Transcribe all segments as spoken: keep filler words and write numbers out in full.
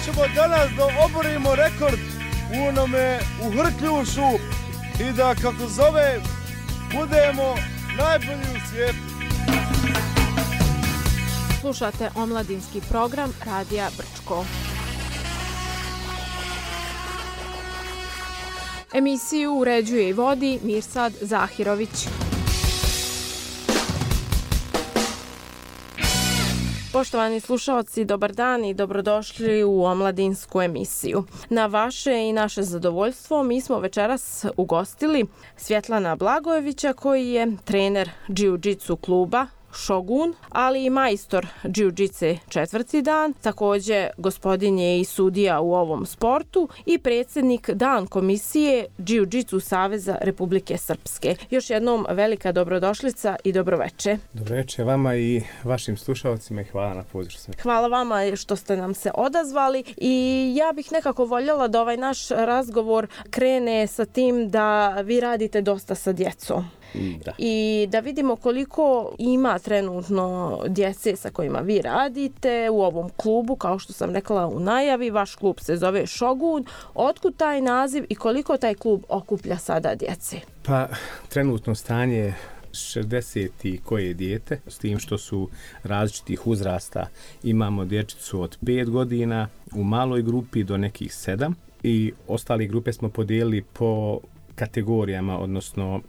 ćemo danas da oborimo rekord u onome u Hrkljušu i da, kako zove, budemo najbolji u svijetu. Slušate omladinski program Radija Brčko. Emisiju uređuje i vodi Mirsad Zahirović. Poštovani slušalci, dobar dan i dobrodošli u omladinsku emisiju. Na vaše i naše zadovoljstvo mi smo večeras ugostili Svjetlana Blagojevića, koji je trener džiu-džitsu kluba Šogun, ali i majstor džiu-džice četvrti dan. Također gospodin je i sudija u ovom sportu i predsjednik dan komisije džiu-džitsu Saveza Republike Srpske. Još jednom velika dobrodošlica i dobroveče. Dobroveče vama i vašim slušalcima i hvala na pozivu. Hvala vama što ste nam se odazvali i ja bih nekako voljela da ovaj naš razgovor krene sa tim da vi radite dosta sa djecom. Da. I da vidimo koliko ima trenutno djece sa kojima vi radite u ovom klubu, kao što sam rekla u najavi, vaš klub se zove Šogun. Otkud taj naziv i koliko taj klub okuplja sada djece? Pa trenutno stanje je šezdeset i koje dijete, s tim što su različitih uzrasta. Imamo dječicu od pet godina u maloj grupi do nekih sedam i ostali grupe smo podijelili po kategorijama, odnosno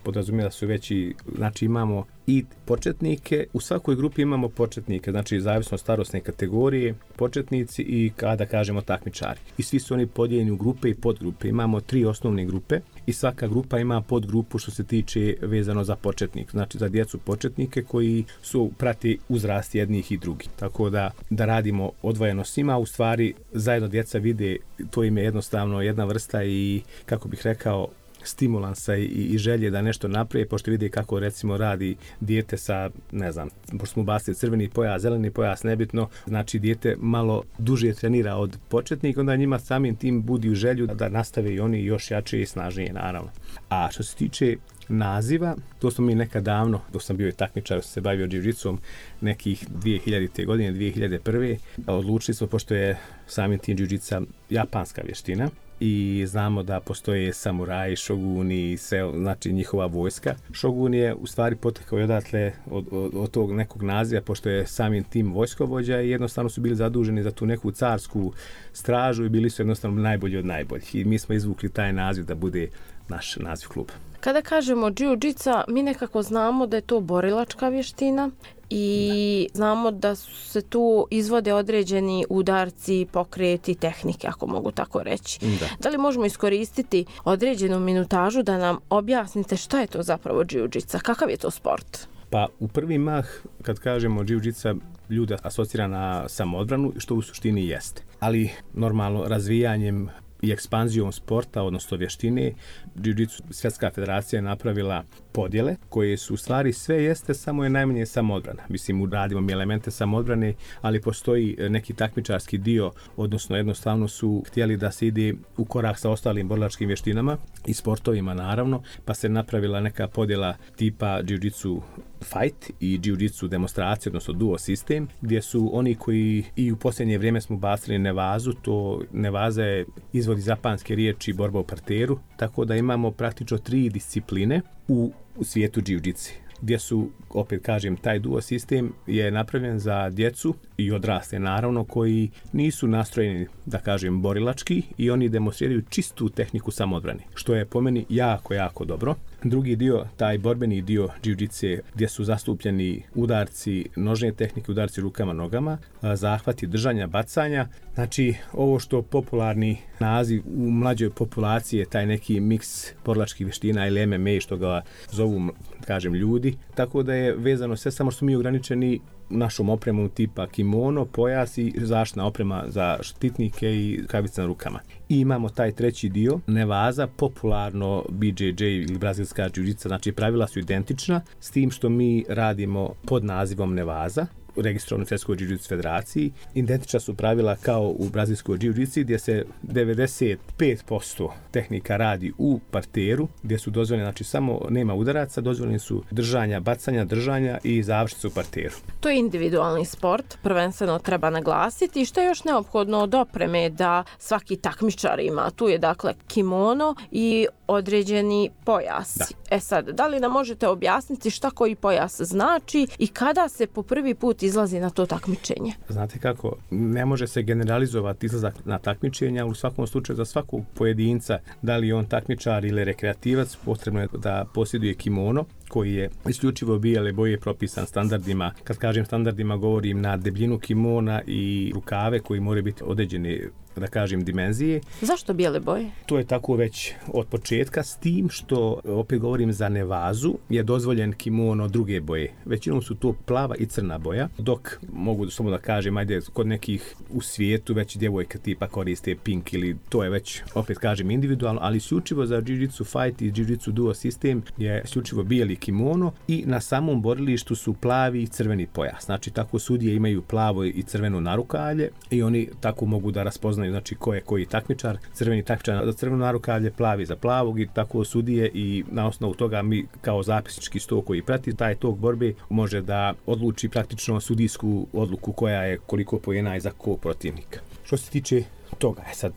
podrazumijeva su veći, znači imamo i početnike, u svakoj grupi imamo početnike, znači zavisno od starosne kategorije, početnici i kada kažemo takmičari. I svi su oni podijeljeni u grupe i podgrupe. Imamo tri osnovne grupe i svaka grupa ima podgrupu što se tiče vezano za početnik, znači za djecu početnike koji su prati uzrast jednih i drugih. Tako da, da radimo odvojeno s njima, u stvari zajedno djeca vide, to im je jednostavno jedna vrsta i, kako bih rekao, stimulansa i, i želje da nešto naprije, pošto vidi kako recimo radi dijete sa, ne znam, pošto smo bacili crveni pojas, zeleni pojas, nebitno, znači dijete malo duže trenira od početnika, onda njima samim tim budi u želju da nastave i oni još jače i snažnije, naravno. A što se tiče naziva, to smo mi nekad davno, dok sam bio i takmičar, se bavio džiu-džitsom nekih dvije hiljadite. godine, dvije hiljade prve. Odlučili smo, pošto je samim tim džiu-džitsa japanska vještina, i znamo da postoje samuraji, šoguni i sve, znači njihova vojska. Šogun je u stvari potekao odatle od, od, od tog nekog naziva, pošto je samim tim vojskovođa i jednostavno su bili zaduženi za tu neku carsku stražu i bili su jednostavno najbolji od najboljih. I mi smo izvukli taj naziv da bude naš naziv kluba. Kada kažemo džiu-džica, mi nekako znamo da je to borilačka vještina i da. Znamo da se tu izvode određeni udarci, pokreti, tehnike, ako mogu tako reći. Da. Da li možemo iskoristiti određenu minutažu da nam objasnite šta je to zapravo džiu-džica, kakav je to sport? Pa u prvi mah, kad kažemo džiu-džica, ljude asocira na samoodbranu, što u suštini jeste. Ali normalno razvijanjem i ekspanzijom sporta, odnosno vještine, džiu-džitsu svjetska federacija je napravila podjele koje su u stvari sve jeste, samo je najmanje samoodbrana. Mislim, uradimo mi elemente samoodbrane, ali postoji neki takmičarski dio, odnosno jednostavno su htjeli da se ide u korak sa ostalim borilačkim vještinama i sportovima naravno, pa se napravila neka podjela tipa džiu-džitsu fight i džiu-džitsu demonstracije, odnosno duo sistem, gdje su oni koji i u posljednje vrijeme smo bacili nevazu, to nevaza je izvod iz japanske riječi borba u parteru, tako da imamo praktično tri discipline u, u svijetu džiu-džitse, gdje su, opet kažem, taj duo sistem je napravljen za djecu i odrasle naravno koji nisu nastrojeni, da kažem, borilački i oni demonstriraju čistu tehniku samoodbrane, što je po meni jako, jako dobro. Drugi dio, taj borbeni dio džiu-džitse, gdje su zastupljeni udarci, nožne tehnike, udarci rukama, nogama, zahvati držanja, bacanja. Znači, ovo što popularni naziv u mlađoj populaciji je taj neki miks borilačkih vještina ili em em a, što ga zovu, kažem, ljudi. Tako da je vezano sve, samo što mi ograničeni našom opremom tipa kimono, pojas i zaštitna oprema za štitnike i kavice na rukama. I imamo taj treći dio, nevaza, popularno B J J ili brazilska džiu-džica, znači pravila su identična, s tim što mi radimo pod nazivom nevaza, registrovano u Svjetskoj jiu-jitsu federaciji. Identična su pravila kao u brazilskoj jiu-jitsu gdje se devedeset pet posto tehnika radi u parteru, gdje su dozvoljene, znači samo nema udaraca, dozvoljeni su držanja, bacanja, držanja i završnice u parteru. To je individualni sport, prvenstveno treba naglasiti. I što je još neophodno od opreme da svaki takmičar ima? Tu je dakle kimono i određeni pojas. Da. E sad, da li nam možete objasniti šta koji pojas znači i kada se po prvi put izlazi na to takmičenje? Znate kako, ne može se generalizovati izlazak na takmičenje, ali u svakom slučaju za svakog pojedinca, da li on takmičar ili rekreativac, potrebno je da posjeduje kimono koji je isključivo bijele boje propisan standardima. Kad kažem standardima, govorim na debljinu kimona i rukave koji moraju biti određene, da kažem, dimenzije. Zašto bijele boje? To je tako već od početka, s tim što, opet govorim za nevazu, je dozvoljen kimono druge boje. Većinom su to plava i crna boja, dok mogu samo da kažem, ajde, kod nekih u svijetu već djevojka tipa koriste pink ili to je već, opet kažem, individualno, ali isključivo za jiu-jitsu fight i jiu-jitsu duo sistem je isključivo bijeli kimono i na samom borilištu su plavi i crveni pojas. Znači, tako sudije imaju plavo i crveno narukavlje i oni tako mogu da raspoznaju, znači ko je koji takmičar, crveni takmičar za crveno narukavlje, plavi za plavog i tako sudije i na osnovu toga mi kao zapisnički sto koji prati taj tok borbe može da odluči praktično sudijsku odluku koja je koliko poena i za ko protivnika. Što se tiče toga, je sad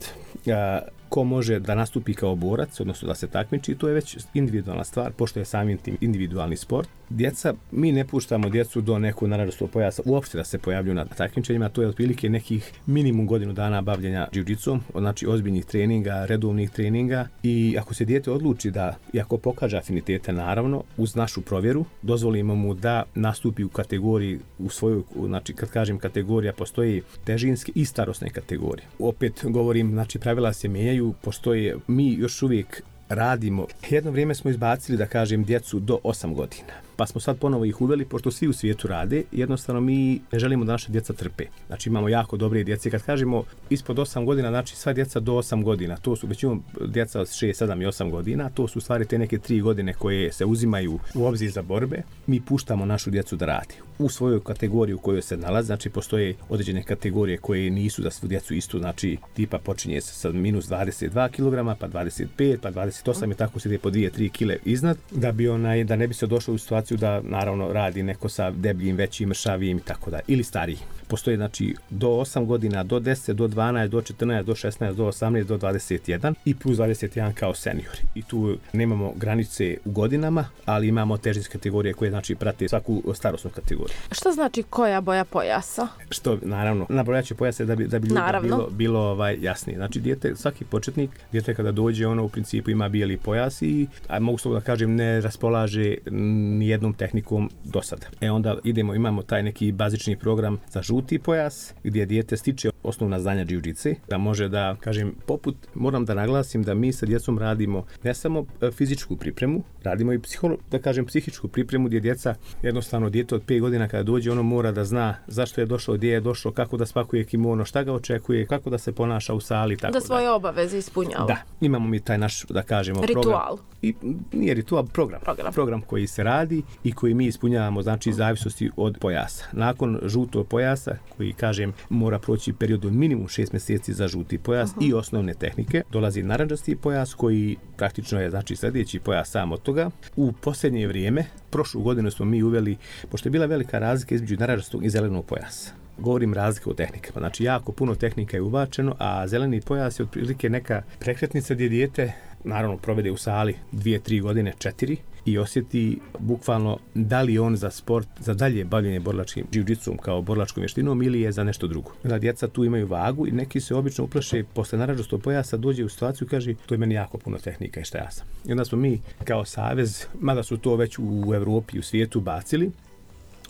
a, ko može da nastupi kao borac, odnosno da se takmiči, to je već individualna stvar, pošto je samim tim individualni sport. Djeca, mi ne puštamo djecu do nekog narandžastog pojasa uopšte da se pojavljuju na takmičenjima, to je otprilike nekih minimum godinu dana bavljenja jiu-jitsom, znači ozbiljnih treninga, redovnih treninga i ako se dijete odluči da, i ako pokaže afinitete, naravno, uz našu provjeru, dozvolimo mu da nastupi u kategoriji, u svojoj, znači kad kažem kategorija, postoji težinske i starosne kategorije. Opet govorim, znači pravila se mijenjaju, postoje, mi još uvijek radimo. Jedno vrijeme smo izbacili, da kažem, djecu do osam godina. Pa smo sad ponovo ih uveli, pošto svi u svijetu rade, jednostavno mi ne želimo da naša djeca trpe. Znači imamo jako dobre djece. Kad kažemo ispod osam godina, znači sva djeca do osam godina, to su većinom djeca od šest, sedam i osam godina, to su stvari te neke tri godine koje se uzimaju u obzir za borbe. Mi puštamo našu djecu da radi. U svojoj kategoriji u kojoj se nalazi, znači postoje određene kategorije koje nisu za svu djecu isto, znači tipa počinje se sa minus dvadeset dva kilograma, pa dvadeset pet, pa dvadeset osam i tako se ide po dvije tri kile iznad, da bi onaj, da ne bi se došlo u situaciju da naravno radi neko sa debljim, većim, mršavijim i tako da, ili stariji. Postoje znači do osam godina, do deset, do dvanaest, do četrnaest, do šesnaest, do osamnaest, do dvadeset jedan i plus dvadeset jedan kao seniori. I tu nemamo granice u godinama, ali imamo težinske kategorije koje znači prate svaku starosnu kategoriju. Šta znači koja boja pojasa? Što naravno, nabrojaće pojase da bi, da bi ljudima bilo, bilo ovaj, jasnije. Znači dijete, svaki početnik, dijete kada dođe, ono u principu ima bijeli pojas i, a mogu slobodno da kažem, ne raspolaže ni jednom tehnikom do sada. E onda idemo, imamo taj neki bazični program za žuti pojas, gdje dijete stiče osnovna znanja jiu-jitsu, da može da, kažem, poput, moram da naglasim da mi sa djecom radimo ne samo fizičku pripremu, radimo i psiholo, da kažem, psihičku pripremu gdje djeca, jednostavno dijete od pet godina kada dođe, ono mora da zna zašto je došao, gdje je došao, kako da spakuje kimono, šta ga očekuje, kako da se ponaša u sali, tako da. Da svoje obaveze ispunjava. Da, imamo mi taj naš, da kažemo, ritual. Program. I nije ritual, program. program. Program koji se radi i koji mi ispunjavamo, znači, zavisnosti od pojasa. Nakon žutog pojasa, koji, kažem, mora proći period od minimum šest mjeseci za žuti pojas uh-huh. i osnovne tehnike, dolazi narandžasti pojas koji praktično je, znači, sljedeći pojas sam od toga. U posljednje vrijeme, prošlu godinu smo mi uveli, pošto je bila velika razlika između narandžastog i zelenog pojasa. Govorim razlike u tehnikama. Znači, jako puno tehnika je ubačeno, a zeleni pojas je otprilike neka prekretnica gdje dijete, naravno, provede u sali dvije, tri godine, četiri i osjeti bukvalno da li on za sport, za dalje bavljenje borilačkim jiu-jitsom kao borilačkom vještinom ili je za nešto drugo. Da djeca tu imaju vagu i neki se obično uplaše posle narandžastog pojasa, dođe u situaciju i kaže to je meni jako puno tehnika i šta ja sam. I onda smo mi kao savez, mada su to već u Evropi i u svijetu bacili,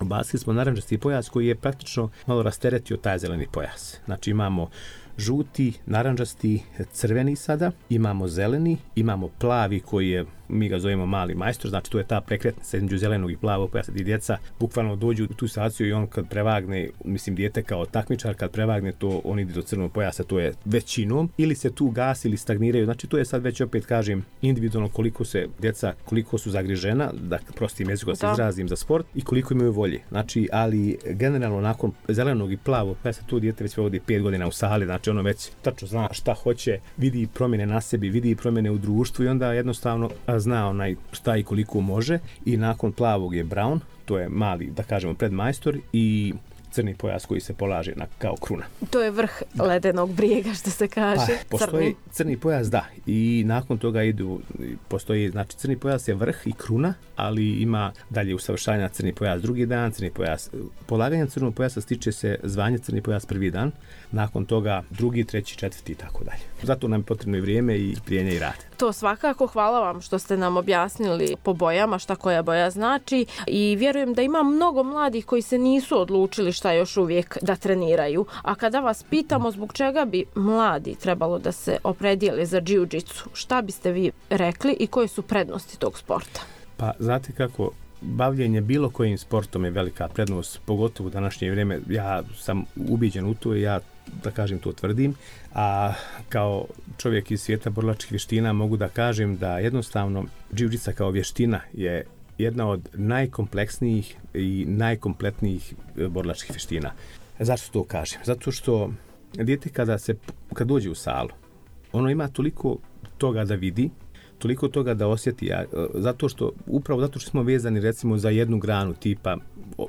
Ubacili smo narandžasti pojas koji je praktično malo rasteretio taj zeleni pojas. Znači imamo žuti, naranđasti, crveni sada, imamo zeleni, imamo plavi koji je, mi ga zovemo mali majstor, znači to je ta prekretnica između zelenog i plavog pojasa gdje djeca bukvalno dođu u tu situaciju i on kad prevagne, mislim dijete kao takmičar, kad prevagne to, on ide do crvenog pojasa, to je većinom, ili se tu gasi ili stagniraju, znači to je sad već opet kažem individualno koliko se djeca, koliko su zagrižena, da prostim jezikom se izrazim za sport i koliko imaju volje. Znači, ali generalno nakon zelenog i plavog pojasa to dijete već vodi pet godina u sali, znači ono već tačno zna šta hoće, vidi promjene na sebi, vidi promjene u društvu i onda jednostavno zna onaj šta i koliko može. I nakon plavog je brown, to je mali, da kažemo, predmajstor i crni pojas koji se polaže na, kao kruna. To je vrh ledenog brijega, što se kaže. Pa, postoji crni. crni pojas, da. I nakon toga idu, postoji, znači crni pojas je vrh i kruna, ali ima dalje usavršavanja crni pojas drugi dan, crni pojas. Polaganje crnog pojasa stiče se zvanje crni pojas prvi dan, nakon toga drugi, treći, četvrti i tako dalje. Zato nam je potrebno i vrijeme i prijenje i rad. To svakako, hvala vam što ste nam objasnili po bojama šta koja boja znači i vjerujem da ima mnogo mladih koji se nisu odlučili šta još uvijek da treniraju. A kada vas pitamo zbog čega bi mladi trebalo da se opredijele za džiu-džitsu, šta biste vi rekli i koje su prednosti tog sporta? Pa znate kako, bavljenje bilo kojim sportom je velika prednost, pogotovo u današnje vrijeme. Ja sam ubiđen u to i ja, da kažem, to tvrdim, a kao čovjek iz svijeta borilačkih vještina mogu da kažem da jednostavno džiu-džitsa kao vještina je jedna od najkompleksnijih i najkompletnijih borilačkih vještina. Zašto to kažem? Zato što dijete kada se kad dođe u salu, ono ima toliko toga da vidi, toliko toga da osjeti, a, zato što, upravo zato što smo vezani recimo za jednu granu tipa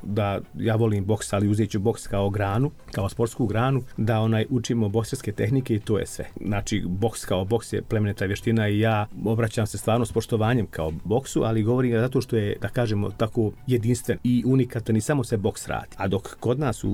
da ja volim boks, ali uzet ću boks kao granu, kao sportsku granu, da onaj učimo bokserske tehnike i to je sve. Znači, boks kao boks je plemenita vještina i ja obraćam se stvarno s poštovanjem kao boksu, ali govorim ga zato što je, da kažemo, tako jedinstven i unikatan i samo se boks radi. A dok kod nas u,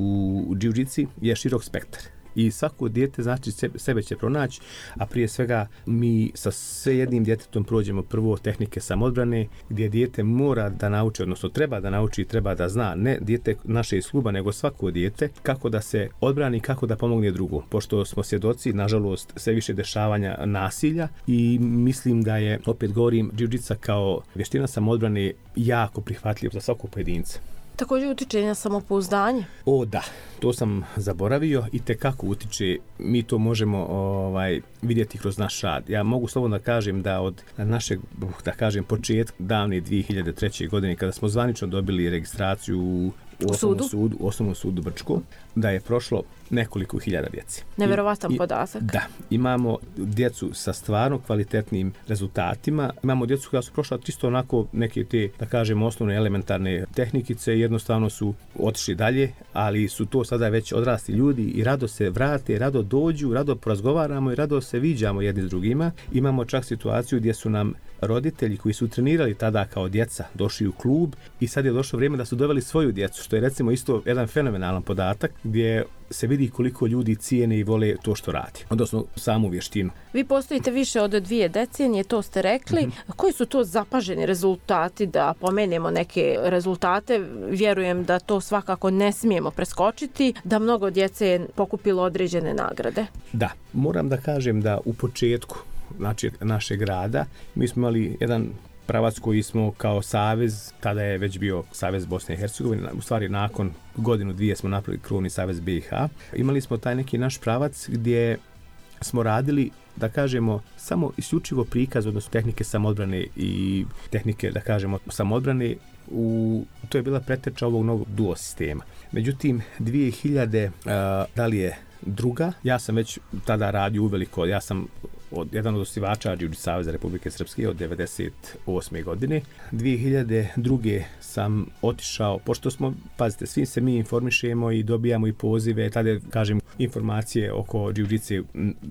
u džiu-džitsi je širok spektar. I svako dijete znači sebe će pronaći, a prije svega mi sa sve jednim djetetom prođemo prvo tehnike samodbrane, gdje dijete mora da nauči, odnosno treba da nauči i treba da zna, ne dijete naše iz kluba, nego svako dijete, kako da se odbrani, kako da pomogne drugu. Pošto smo svjedoci, nažalost, sve više dešavanja nasilja i mislim da je, opet govorim, džiu-džitsa kao vještina samodbrane jako prihvatljiv za svakog pojedinca. Također utiče na samopouzdanje? O da, to sam zaboravio i tekako utiče, mi to možemo ovaj, vidjeti kroz naš rad. Ja mogu slobodno da kažem da od našeg, da kažem, početka davne dvije hiljade treće. godine, kada smo zvanično dobili registraciju u u osnovnom sudu, u osnovnom sudu Brčko, da je prošlo nekoliko hiljada djeci. Neverovatan I, podatak. Da, imamo djecu sa stvarno kvalitetnim rezultatima. Imamo djecu koja su prošla čisto onako neke te, da kažemo, osnovne elementarne tehnikice i jednostavno su otišli dalje, ali su to sada već odrasli ljudi i rado se vrate, rado dođu, rado porazgovaramo i rado se viđamo jedni s drugima. Imamo čak situaciju gdje su nam roditelji koji su trenirali tada kao djeca došli u klub i sad je došlo vrijeme da su doveli svoju djecu, što je recimo isto jedan fenomenalan podatak gdje se vidi koliko ljudi cijene i vole to što radi, odnosno samu vještinu. Vi postojite više od dvije decenije, to ste rekli. Mm-hmm. Koji su to zapaženi rezultati, da pomenemo neke rezultate? Vjerujem da to svakako ne smijemo preskočiti, da mnogo djece je pokupilo određene nagrade. Da, moram da kažem da u početku, znači našeg rada, mi smo imali jedan pravac koji smo kao savez, tada je već bio Savez Bosne i Hercegovine, u stvari nakon godinu dvije smo napravili krovni Savez B i H. Imali smo taj neki naš pravac gdje smo radili, da kažemo, samo isključivo prikaz, odnosno tehnike samodbrane i tehnike, da kažemo, samodbrane. U, to je bila preteča ovog novog duo sistema. Međutim, dvije hiljade, uh, da li je druga, ja sam već tada radio uveliko, ja sam od, jedan od osnivača Džiu-džitsu Saveza Republike Srpske od devedeset osme. godine. dvije hiljade druge. sam otišao, pošto smo, pazite, svi se mi informišemo i dobijamo i pozive, tada kažem informacije oko džiu-džitse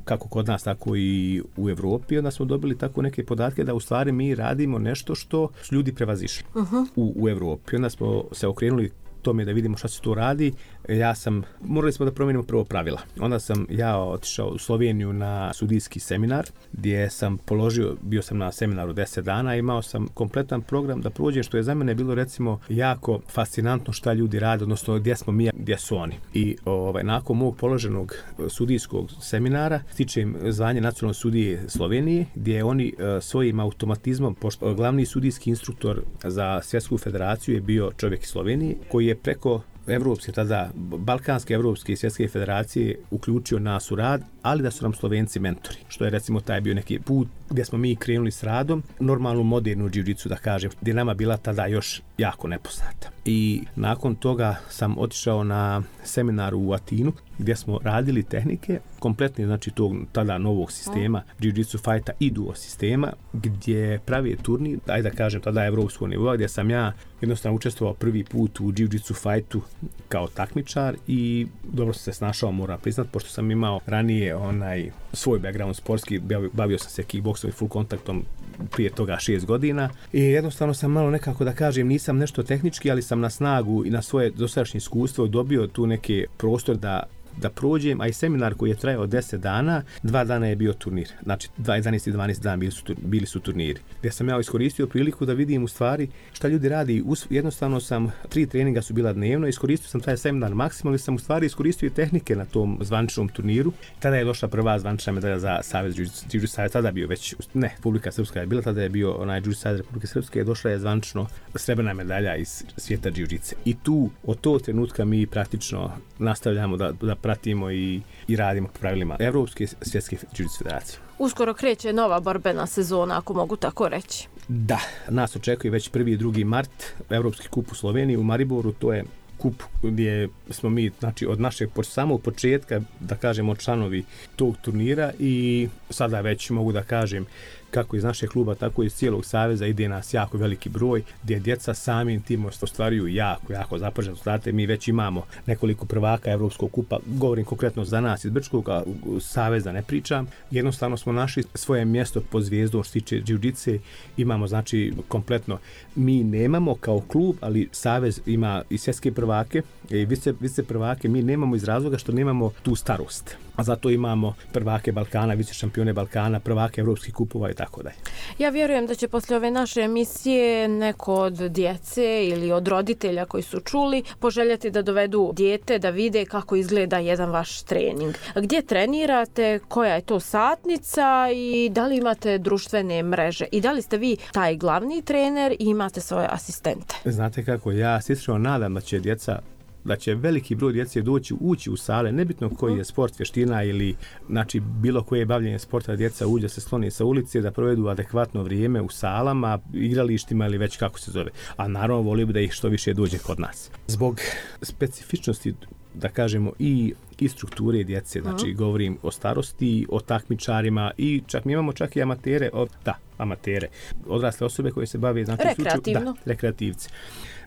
kako kod nas, tako i u Evropi, onda smo dobili tako neke podatke da u stvari mi radimo nešto što su ljudi prevazišli uh-huh. u, u Evropi. Onda smo se okrenuli tome da vidimo šta se tu radi, ja sam, morali smo da promijenimo prvo pravila. Onda sam ja otišao u Sloveniju na sudijski seminar, gdje sam položio, bio sam na seminaru deset dana, imao sam kompletan program da prođem, što je za mene bilo recimo jako fascinantno šta ljudi rade, odnosno gdje smo mi, gdje su oni. I ovaj, nakon mog položenog sudijskog seminara stičem zvanje nacionalnog sudije Slovenije, gdje oni uh, svojim automatizmom, pošto glavni sudijski instruktor za svjetsku federaciju je bio čovjek iz Slovenije, koji je preko evropske, tada balkanske, evropske i svjetske federacije uključio nas u rad, ali da su nam Slovenci mentori, što je recimo taj bio neki put gdje smo mi krenuli s radom, normalnu modernu džiu-džicu da kažem, gdje je nama bila tada još jako nepoznata. I nakon toga sam otišao na seminar u Atinu, gdje smo radili tehnike, kompletni znači tog tada novog sistema, jiu-jitsu fighta i duo sistema, gdje pravi turnir, ajde da kažem tada evropskog nivoa, gdje sam ja jednostavno učestvovao prvi put u jiu-jitsu fightu kao takmičar i dobro sam se snašao, moram priznat, pošto sam imao ranije onaj svoj background sportski, bavio sam se kickboksom i full kontaktom prije toga šest godina i jednostavno sam malo nekako da kažem, nisam nešto tehnički, ali sam na snagu i na svoje dosadašnje iskustvo dobio tu neki prostor da da prođem, a i seminar koji je trajao deset dana, dva dana je bio turnir. Znači, jedanaest i dvanaest dana bili su, bili su turniri. Gdje sam ja iskoristio priliku da vidim u stvari šta ljudi radi. Jednostavno sam, tri treninga su bila dnevno, iskoristio sam taj seminar maksimalno i sam u stvari iskoristio i tehnike na tom zvaničnom turniru. Tada je došla prva zvanična medalja za Savez Jiu-Jitsu Savez, tada bio već, ne, Republika Srpska je bila, tada je bio onaj Jiu-Jitsu Savez Republike Srpske, je došla je zvanično srebrna medalja iz svijeta Jiu-Jitsu. I tu, od tog trenutka mi praktično nastavljamo da, da pratimo i, i radimo po pravilima Evropske svjetske jiu-jitsu federacije. Uskoro kreće nova borbena sezona, ako mogu tako reći. Da, nas očekuje već prvi i drugi mart, Evropski kup u Sloveniji, u Mariboru, to je kup gdje smo mi, znači od našeg samog početka, da kažemo, članovi tog turnira i sada već mogu da kažem kako iz našeg kluba, tako i iz cijelog saveza ide nas jako veliki broj, gdje djeca samim tim ostvaruju jako, jako zapažene rezultate. Mi već imamo nekoliko prvaka Evropskog kupa, govorim konkretno za nas iz Brčkog, a saveza ne pričam. Jednostavno smo našli svoje mjesto pod zvijezdom što se tiče jiu-jitsu, imamo znači kompletno, mi nemamo kao klub, ali savez ima i svjetske prvake i vice, vice prvake, mi nemamo iz razloga što nemamo tu starost. A zato imamo prvake Balkana, vice šampione Balkana, prvake evropskih kupova i tako dalje. Ja vjerujem da će poslije ove naše emisije neko od djece ili od roditelja koji su čuli poželjeti da dovedu dijete da vide kako izgleda jedan vaš trening. Gdje trenirate, koja je to satnica i da li imate društvene mreže i da li ste vi taj glavni trener i imate svoje asistente? Znate kako, ja se iskreno nadam da će djeca da će veliki broj djece doći, ući u sale, nebitno koji je sport, vještina ili znači bilo koje bavljenje sporta, djeca uđe se sloni sa ulice, da provedu adekvatno vrijeme u salama, igralištima ili već kako se zove. A naravno volio bi da ih što više dođe kod nas. Zbog specifičnosti, da kažemo, i i strukture djece, znači uh-huh. govorim o starosti, o takmičarima i čak mi imamo čak i amatere, o, da, amatere, odrasle osobe koje se bave, znači rekreativno. Slučaju, da, rekreativci.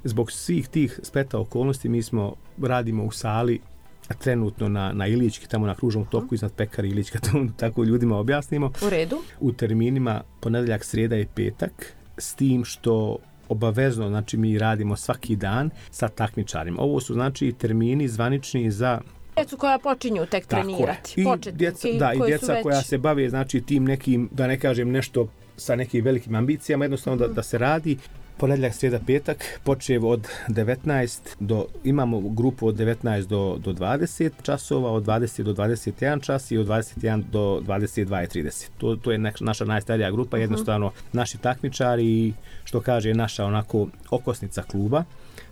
Zbog svih tih spleta okolnosti mi smo radimo u sali trenutno na, na Ilički, tamo na kružnom toku iznad Pekari Ilička, to tako ljudima objasnimo. U redu. U terminima ponedjeljak, srijeda i petak, s tim što obavezno, znači mi radimo svaki dan sa takmičarima. Ovo su znači termini zvanični za djecu koja počinju tek trenirati. I djeca, da, i djeca već... koja se bave znači tim nekim, da ne kažem nešto sa nekim velikim ambicijama, jednostavno mm. da, da se radi. Ponedjeljak, srijeda, petak, počev od devetnaest do, imamo grupu od devetnaest do, do dvadeset časova, od dvadeset do dvadeset jedan čas i od dvadeset jedan do dvadeset dva i trideset. To, to je naša najstarija grupa, jednostavno naši takmičari, što kaže naša onako okosnica kluba,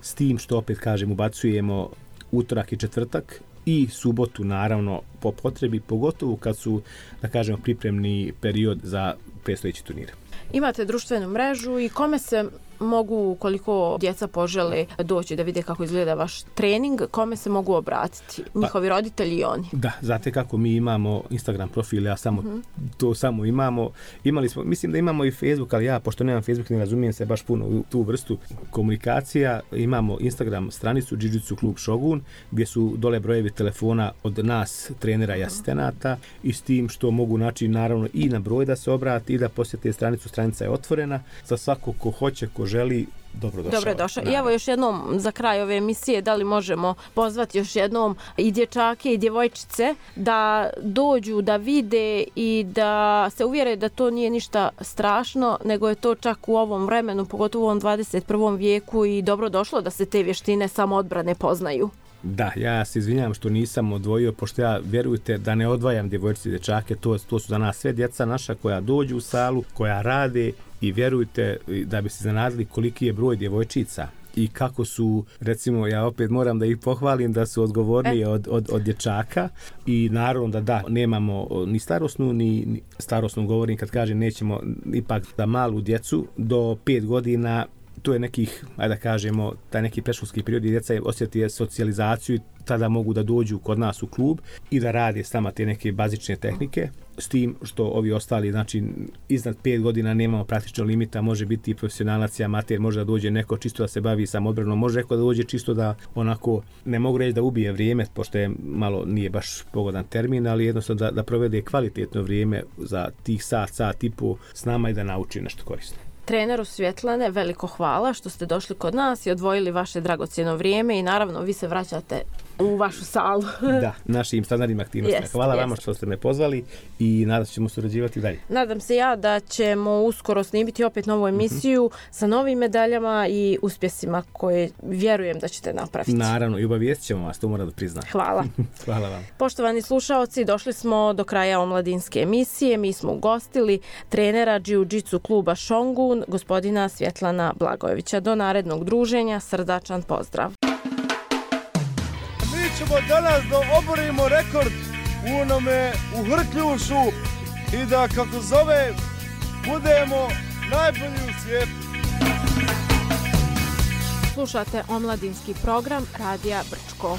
s tim što opet kažem ubacujemo utorak i četvrtak i subotu naravno po potrebi, pogotovo kad su, da kažemo, pripremni period za predstojeći turnir. Imate društvenu mrežu i kome se mogu, koliko djeca požele doći da vide kako izgleda vaš trening, kome se mogu obratiti? Njihovi pa, roditelji i oni? Da, znate kako mi imamo Instagram profile, ja samo uh-huh. to samo imamo. Imali smo, mislim da imamo i Facebook, ali ja, pošto nemam Facebook, ne razumijem se baš puno u tu vrstu komunikacija. Imamo Instagram stranicu Jiu-Jitsu klub Shogun, gdje su dole brojevi telefona od nas, trenera i asistenata, i s tim što mogu naći naravno i na broj da se obrati i da posjete stranicu. Stranica je otvorena za svako ko hoće, ko želi, dobrodošao. Dobrodošao. I evo još jednom za kraj ove emisije, da li možemo pozvati još jednom i dječake i djevojčice da dođu, da vide i da se uvjere da to nije ništa strašno, nego je to čak u ovom vremenu, pogotovo u ovom dvadeset prvom vijeku i dobrodošlo da se te vještine samoodbrane poznaju. Da, ja se izvinjam što nisam odvojio, pošto ja, vjerujte, da ne odvajam djevojčice i dječake, to, to su za nas sve djeca naša koja dođu u salu, koja rade i vjerujte da bi se iznenadili koliki je broj djevojčica i kako su, recimo, ja opet moram da ih pohvalim da su odgovorniji e. od, od, od dječaka i naravno da da, nemamo ni starosnu, ni, ni starosnu govorim kad kažem nećemo ipak da malu djecu do pet godina, to je nekih, ajde da kažemo, taj neki predškolski period i djeca osjeti socijalizaciju i tada mogu da dođu kod nas u klub i da rade s nama te neke bazične tehnike, s tim što ovi ostali, znači iznad pet godina nemamo praktično limita, može biti i profesionalac i amater, može da dođe neko čisto da se bavi samoodbranom, može neko da dođe čisto da onako, ne mogu reći da ubije vrijeme, pošto je malo, nije baš pogodan termin, ali jednostavno da, da provede kvalitetno vrijeme za tih sat, sat i po s nama i da nauči nešto korisno. Treneru Svjetlane, veliko hvala što ste došli kod nas i odvojili vaše dragocjeno vrijeme i naravno vi se vraćate u vašu salu. Da, našim standardnim aktivnostima. Yes, hvala yes. vama što ste me pozvali i nadam se ćemo surađivati dalje. Nadam se ja da ćemo uskoro snimiti opet novu emisiju mm-hmm. sa novim medaljama i uspjesima koje vjerujem da ćete napraviti. Naravno, i obavijestit ćemo vas, to moram da priznam. Hvala. Hvala vam. Poštovani slušaoci, došli smo do kraja omladinske emisije. Mi smo ugostili trenera Jiu-Jitsu kluba Šongun, gospodina Svjetlana Blagojevića. Do narednog druženja, srdačan pozdrav. Mi ćemo danas da oborimo rekord u onome u Hrkljušu i da, kako zove, budemo najbolji u svijetu. Slušate omladinski program Radija Brčko.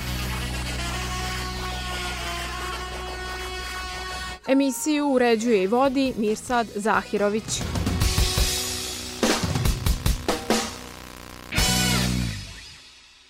Emisiju uređuje i vodi Mirsad Zahirović.